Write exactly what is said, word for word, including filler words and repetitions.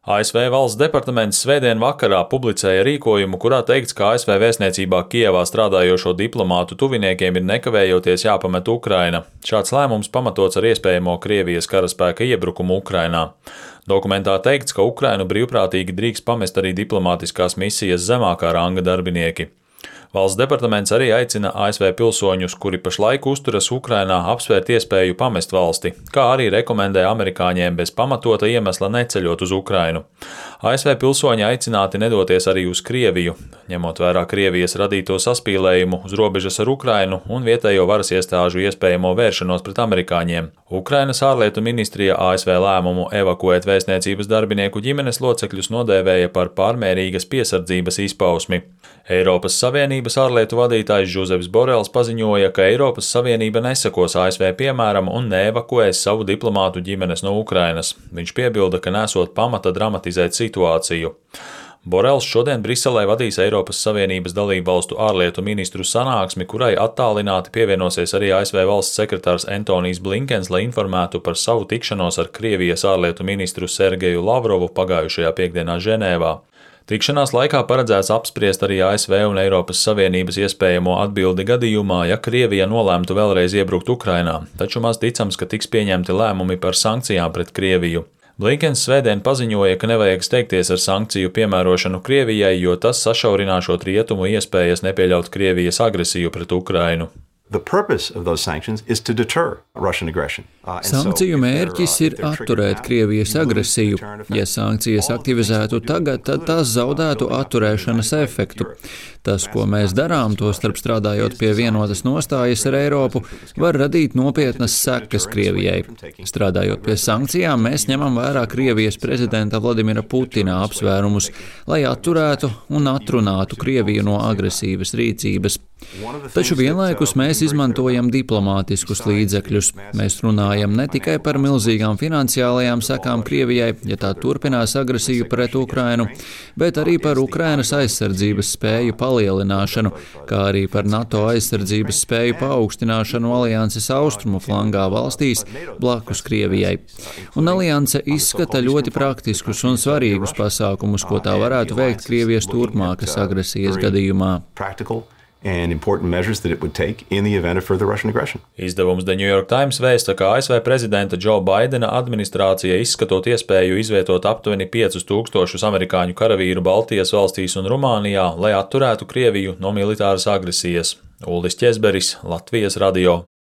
A S V valsts departaments svētdien vakarā publicēja rīkojumu, kurā teikts, ka A S V vēstniecībā Kijevā strādājošo diplomātu tuviniekiem ir nekavējoties jāpamet Ukraina. Šāds lēmums pamatots ar iespējamo Krievijas karaspēka iebrukumu Ukrainā. Dokumentā teikts, ka Ukrainu brīvprātīgi drīkst pamest arī diplomātiskās misijas zemākā ranga darbinieki. Valsts departaments arī aicina A S V pilsoņus, kuri pašlaik uzturas Ukrainā, apsvērt iespēju pamest valsti, kā arī rekomendē amerikāņiem bez pamatota iemesla neceļot uz Ukrainu. A S V pilsoņi aicināti nedoties arī uz Krieviju, ņemot vērā Krievijas radīto saspīlējumu uz robežas ar Ukrainu un vietējo varas iestāžu iespējamo vēršanos pret amerikāņiem. Ukrainas ārlietu ministrija A S V lēmumu evakuēt vēstniecības darbinieku ģimenes locekļus nodēvēja par pārmērīgas piesardzības izpausmi. Eiropas Savienības ārlietu vadītājs Žuzeps Borels paziņoja, ka Eiropas Savienība nesakos A S V piemēram un neevakuēs savu diplomātu ģimenes no Ukrainas. Viņš piebilda, ka nesot pamata dramatizēt situāciju. Borels šodien Briselē vadīs Eiropas Savienības dalību valstu ārlietu ministru sanāksmi, kurai attālināti pievienosies arī A S V valsts sekretārs Antonijs Blinkens, lai informētu par savu tikšanos ar Krievijas ārlietu ministru Sergeju Lavrovu pagājušajā piekdienā Ženēvā. Tikšanās laikā paredzēts apspriest arī A S V un Eiropas Savienības iespējamo atbildi gadījumā, ja Krievija nolēmtu vēlreiz iebrukt Ukrainā, taču maz ticams, ka tiks pieņemti lēmumi par sankcijām pret Krieviju. Blinkens svētdien paziņoja, ka nevajag steigties ar sankciju piemērošanu Krievijai, jo tas sašaurināšot rietumu iespējas nepieļaut Krievijas agresiju pret Ukrainu. Sankciju mērķis ir atturēt Krievijas agresiju. Ja sankcijas aktivizētu tagad, tad tās zaudētu atturēšanas efektu. Tas, ko mēs darām, tostarp strādājot pie vienotas nostājas ar Eiropu, var radīt nopietnas sekas Krievijai. Strādājot pie sankcijām, mēs ņemam vērā Krievijas prezidenta Vladimira Putina apsvērumus, lai atturētu un atrunātu Krieviju no agresīvas rīcības. Taču vienlaikus mēs izmantojam diplomātiskus līdzekļus. Mēs runājam ne tikai par milzīgām finansiālajām sekām Krievijai, ja tā turpinās agresiju pret Ukrainu, bet arī par Ukrainas aizsardzības spēju palielināšanu, kā arī par NATO aizsardzības spēju paaugstināšanu alianses austrumu flangā valstīs blakus Krievijai. Un alianse izskata ļoti praktiskus un svarīgus pasākumus, ko tā varētu veikt Krievijas turpmākas agresijas gadījumā. And important measures that it would take in the event of further Russian aggression. Izdevums The New York Times vēsta, ka A S V prezidenta Džo Baidena administrācija izskatot iespēju izvietot aptuveni piecus tūkstošus amerikāņu karavīru Baltijas valstīs un Rumānijā, lai atturētu Krieviju no militāras agresijas. Uldis Ķezberis, Latvijas radio.